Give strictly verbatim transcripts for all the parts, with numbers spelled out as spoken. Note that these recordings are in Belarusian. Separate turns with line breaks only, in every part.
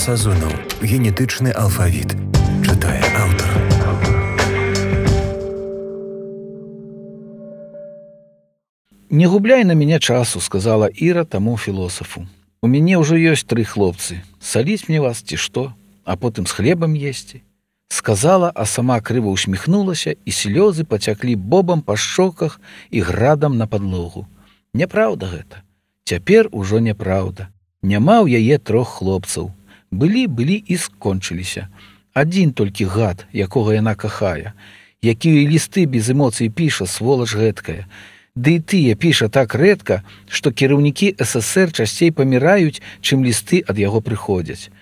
Сазонаў. Генетычны алфавіт. Чытае аўтар.
«Не губляй на меня часу», — сказала Іра таму філосафу. «У мяне ўжо ёсць тры хлопцы. Саліць мне вас ці што, а потым з хлебам есці». Сказала, а сама крыва усміхнулася, і слёзы пацяклі бобам па шчоках і градам на падлогу. Няпраўда гэта. Цяпер ужо няпраўда. Няма ў яе трох хлопцаў. Былі, былі і скончыліся. Адзін толькі гад, якога яна кахае, якія лісты без эмоцый піша, сволач гэткая. Ды і тыя піша так рэдка, што кіраўнікі эс эс эр часцей паміраюць, чым лісты ад яго прыходзяць.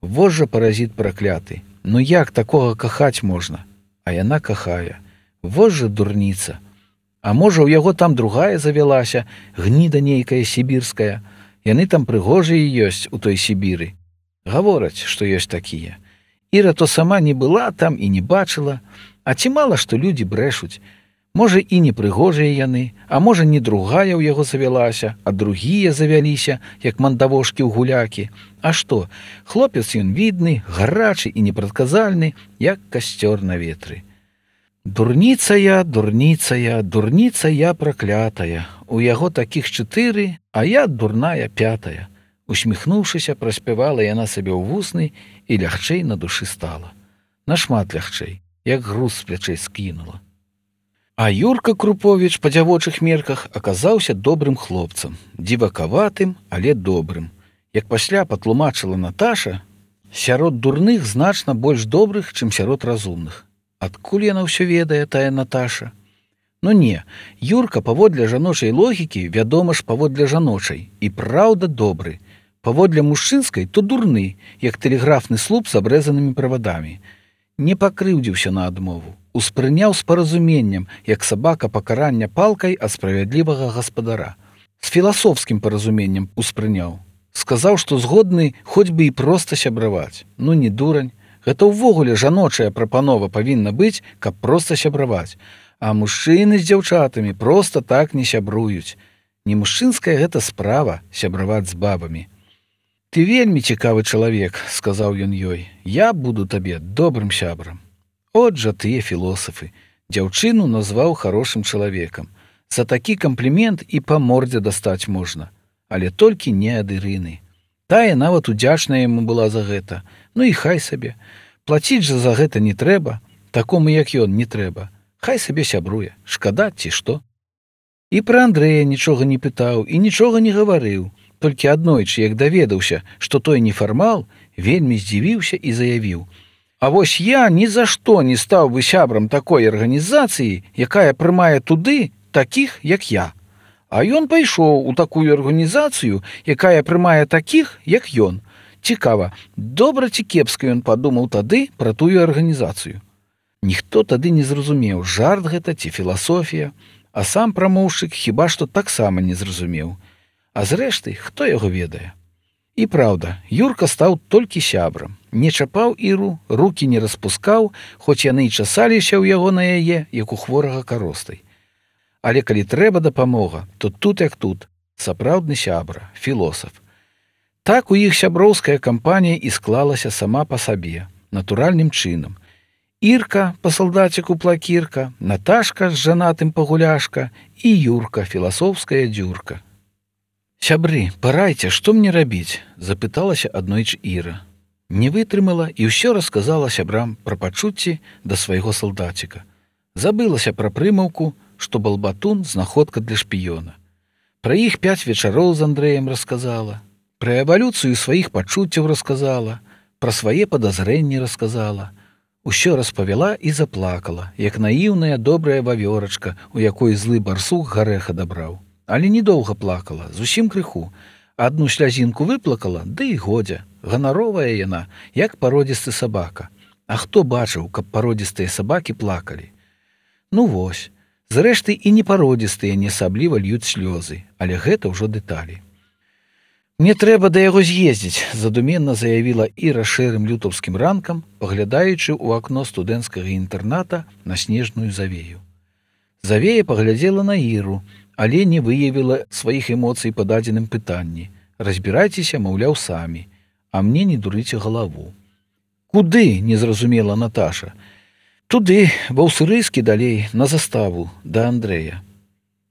Вось жа паразіт пракляты. Ну як такога кахаць можна? А яна кахае. Вось жа дурніца. А можа, у яго там другая завялася, гніда нейкая сібірская. Яны там прыгожыя ёсць у той Сібіры. Гавораць, што ёсць такія. Іра то сама не была там і не бачыла, а ці мала што людзі брэшуць. Можа, і не прыгожыя яны, а можа, не другая ў яго завялася, а другія завяліся, як мандавошкі ў гулякі. А што, хлопец ён відны, гарачы і непрадказальны, як касцёр на ветры. Дурніца я, дурніца я, дурніца я праклятая. У яго такіх чатыры, а я дурная пятая. Усміхнуўшыся, праспявала яна сабе ў вусны, і лягчэй на душы стала. Нашмат лягчэй, як груз з плячэй скінула. А Юрка Круповіч па дзявочых мерках аказаўся добрым хлопцам, дзівакаватым, але добрым. Як пасля патлумачыла Наташа, сярод дурных значна больш добрых, чым сярод разумных. Адкуль яна ўсё ведае, тая Наташа? Ну не, Юрка паводле жаночай логікі, вядома ж, паводле жаночай, і праўда добры. Паводле мужчынскай то дурны, як тэлеграфны слуп з абрэзанымі правадамі. Не пакрыўдзіўся на адмову. Успрыняў з паразуменнем, як сабака пакарання палкай ад справядлівага гаспадара. З філасофскім паразуменнем успрыняў. Сказаў, што згодны хоць бы і проста сябраваць. Ну не дурань. Гэта ўвогуле жаночая прапанова павінна быць, каб проста сябраваць. А мужчыны з дзяўчатамі проста так не сябруюць. Не мужчынская гэта справа сябраваць з бабамі. «Ты вельмі цікавы чалавек», — сказаў ён ёй. «Я буду табе добрым сябрам». От жа тыя філосафы. Дзяўчыну назваў харошым чалавекам. За такі камплімент і па мордзе дастаць можна. Але толькі не ад Ірыны. Тая нават удзячная яму была за гэта. Ну і хай сабе. Плаціць жа за гэта не трэба. Такому, як ён, не трэба. Хай сабе сябруе. Шкада ці што? І пра Андрэя нічога не пытаў і нічога не гаварыў. Толькі аднойчы, як даведаўся, што той нефармал, вельмі здзівіўся і заявіў: «А вось я ні за што не стаў бы сябрам такой арганізацыі, якая прымае туды такіх, як я. А ён пайшоў у такую арганізацыю, якая прымае такіх, як ён. Цікава, добра ці кепска ён падумаў тады пра тую арганізацыю». Ніхто тады не зразумеў, жарт гэта ці філасофія, а сам прамоўшчык хіба што таксама не зразумеў. А зрэшты, хто яго ведае? І праўда, Юрка стаў толькі сябрам. Не чапаў Іру, рукі не распускаў, хоць яны і часаліся ў яго на яе, як у хворага каростай. Але калі трэба дапамога, то тут як тут, сапраўдны сябра, філосаф. Так у іх сяброўская кампанія і склалася сама па сабе, натуральным чынам. Ірка, па салдаціку плакірка, Наташка з жанатым пагуляшка і Юрка, філасофская дзюрка. «Сябры, парайце, што мне рабіць?» — запыталася аднойчы Іра. Не вытрымала і ўсё расказала сябрам пра пачуцці да свайго салдаціка. Забылася пра прымаўку, што балбатун — знаходка для шпіёна. Пра іх пяць вечароў з Андрэем расказала, пра эвалюцыю сваіх пачуццяў расказала, пра свае падазрэнні расказала. Усё распавяла і заплакала, як наіўная добрая вавёрачка, у якой злы барсук гарэха дабраў. Але недоўга плакала, зусім крыху. Адну слязінку выплакала, ды і годзе. Ганаровая яна, як пародзісты сабака. А хто бачыў, каб пародзістыя сабакі плакалі? Ну вось. Зрэшты, і непародзістыя не асабліва льюць слёзы, але гэта ўжо дэталі. «Мне трэба да яго з'ездзіць», — задуменна заявіла Іра шэрым лютаўскім ранкам, паглядаючы ў акно студэнцкага інтэрната на снежную завею. Завея паглядзела на Іру, але не выявіла сваіх эмоцый па дадзеным пытанні. Разбірайцеся, маўляў, самі. а мне не дурыце галаву. Куды, не зразумела Наташа. Туды, ва ўсырыскі далей, на заставу, да Андрэя.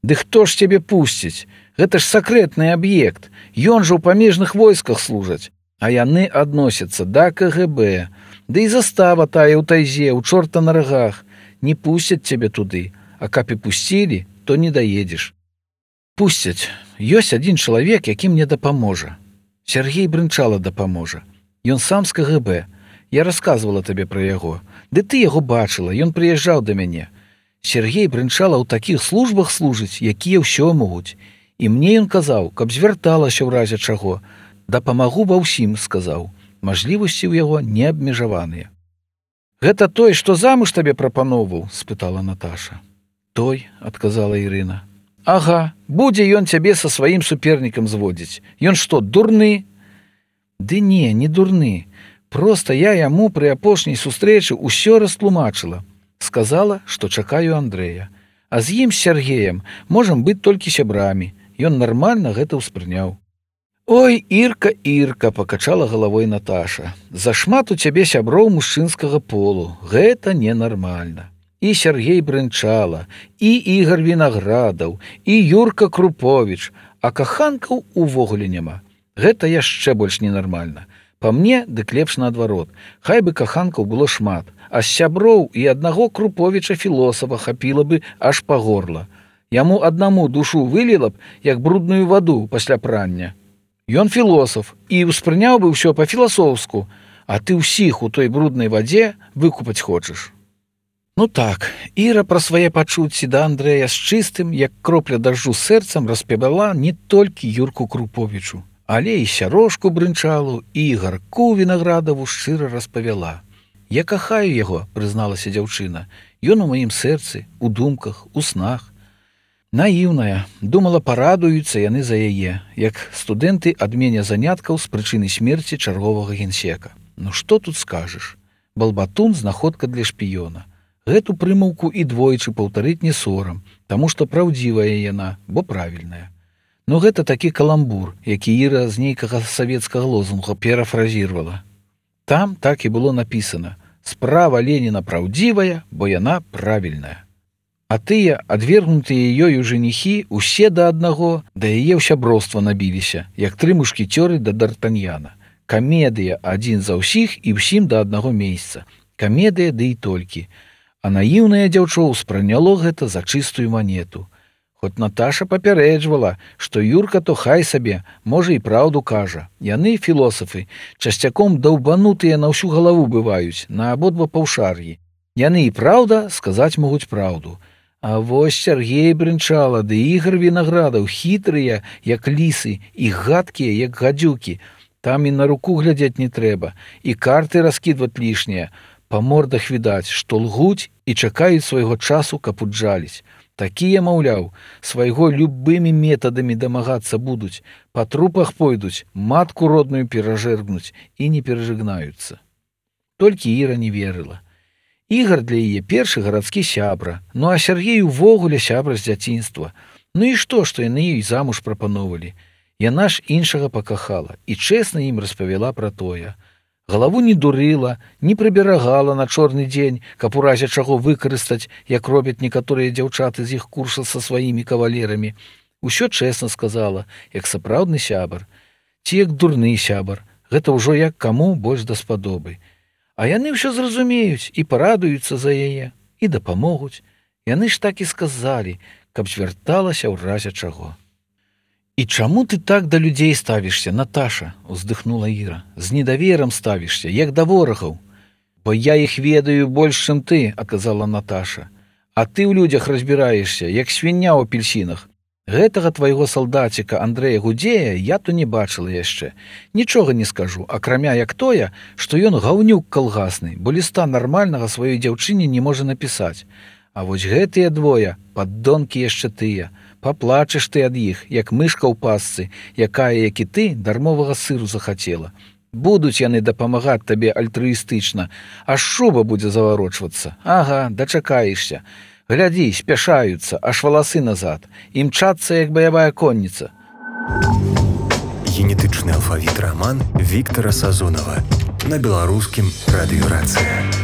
Ды хто ж цябе пусціць? Гэта ж сакрэтны аб'ект. Ён жа ў памежных войсках служаць, а яны адносяцца да ка гэ бэ. Ды і застава тая ў тайзе, у чорта на рагах. Не пусцяць цябе туды, а каб і пусцілі, то не даедзеш. Пусцяць. Ёсць адзін чалавек, які мне дапаможа. Сяргей Брынчала дапаможа. Ён сам з ка гэ бэ. Я расказвала табе пра яго. Ды ты яго бачыла, ён прыязджаў да мяне. Сергей Брынчала ў такіх службах служыць, якія ўсё могуць. І мне ён казаў, каб звярталася ў разе чаго. Дапамагу ва ўсім, сказаў. Мажлівасці ў яго неабмежаваныя. Гэта той, што замуж табе прапаноўваў, спытала Наташа. Той, адказала Ірына. Ага, будзе ён цябе са сваім супернікам зводзіць. Ён што, дурны? Ды не, не дурны. Проста я яму пры апошняй сустрэчы ўсё растлумачыла. Сказала, што чакаю Андрэя. А з ім, з Сергеем, можам быць толькі сябрамі. Ён нармальна гэта ўспрыняў. Ой, Ірка, Ірка, пакачала галавой Наташа. Зашмат у цябе сяброў мужчынскага полу. Гэта ненармальна. І Сергей Брынчала, і Ігар Вінаградаў, і Юрка Круповіч, а каханкаў увогуле няма. Гэта яшчэ больш ненармальна. Па мне, дык лепш наадварот. Хай бы каханкаў было шмат, а з сяброў і аднаго Круповіча філосафа хапіла бы аж па горла. Яму аднаму душу выліла б, як брудную ваду пасля прання. Ён філосаф і ўспрыняў бы ўсё па-філасофску, а ты ўсіх у той бруднай вадзе выкупаць хочаш. Ну так, Іра пра свае пачуцці да Андрэя з чыстым, як кропля дажджу сэрцам распавяла не толькі Юрку Круповічу, але і Сярошку Брынчалу, і Ігарку Вінаградаву шчыра распавяла. Я кахаю яго, прызналася дзяўчына. Ён у маім сэрцы, у думках, у снах. Наіўная, думала, парадуюцца яны за яе, як студэнты адменя заняткаў з прычыны смерці чарговага генсека. Ну што тут скажаш? Балбатун – знаходка для шпіёна. Гэту прымаўку і двойчы паўтарыць не сорам, таму што праўдзівая яна, бо правільная. Ну гэта такі каламбур, які Іра з нейкага савецкага лозунга перафразірвала. Там так і было напісана: «Справа Леніна праўдзівая, бо яна правільная». А тыя, адвергнутыя ёю жаніхі, усе да аднаго, да яе ў сяброўства набіліся, як тры мушкецёры да Д'Артаньяна. Камедыя адзін за ўсіх і ўсім да аднаго месяца. Камедыя ды і толькі. А наіўнае дзяўчо ўспрыняло гэта за чыстую манету. Хоць Наташа папярэджвала, што Юрка то хай сабе, можа і праўду кажа. Яны, філосафы, часцяком даўбанутыя на ўсю галаву бываюць, на абодва паўшар'і. Яны і праўда сказаць могуць праўду. А вось Сергей Брынчала ды Ігар Вінаградаў хітрыя, як лісы, і гадкія, як гадзюкі. Там і на руку глядзець не трэба, і карты раскідваць лішнія. Па мордах відаць, што лгуць і чакаюць свайго часу, каб уджаліць. Такія, маўляў, свайго любымі метадамі дамагацца будуць, па трупах пойдуць, матку родную перажэргнуць і не перажыгнаюцца. Толькі Іра не верыла. Ігар для яе першы гарадскі сябра, ну а Сергей увогуле сябра з дзяцінства. Ну і што, што яны ёй замуж прапановалі? Яна ж іншага пакахала і чэсна ім распавяла пра тое. Галаву не дурыла, не прыберагала на чорны дзень, каб у разе чаго выкарыстаць, як робяць некаторыя дзяўчаты з іх курса са сваімі кавалерамі. Усё чэсна сказала, як сапраўдны сябар. Ці як дурны сябар. Гэта ўжо як каму больш даспадобы. А яны ўсё зразумеюць і парадуюцца за яе, і дапамогуць. Яны ж так і сказалі, каб звярталася ў разе чаго. «І чаму ты так да людзей ставішся, Наташа?» – уздыхнула Іра. «З недаверам ставішся, як да ворагаў». «Бо я іх ведаю больш, чым ты», – аказала Наташа. «А ты ў людзях разбіраешся, як свіння ў апельсінах. Гэтага твайго салдаціка Андрэя Гудзея я то не бачыла яшчэ. Нічога не скажу, акрамя як тое, што ён гаўнюк калгасны, бо ліста нармальнага сваёй дзяўчыне не можа напісаць. А вось гэтыя двое, паддонкі яшчэ тыя. Паплачаш ты ад іх, як мышка ў пасцы, якая, як і ты, дармовага сыру захацела. Будуць яны дапамагаць табе альтрыістычна, аж шуба будзе заварочвацца. Ага, дачакаешся. Глядзі, спяшаюцца, аж валасы назад. Імчацца, як баявая конніца».
генетычны алфавіт раман Віктара Сазонава на беларускім радыёрацыя.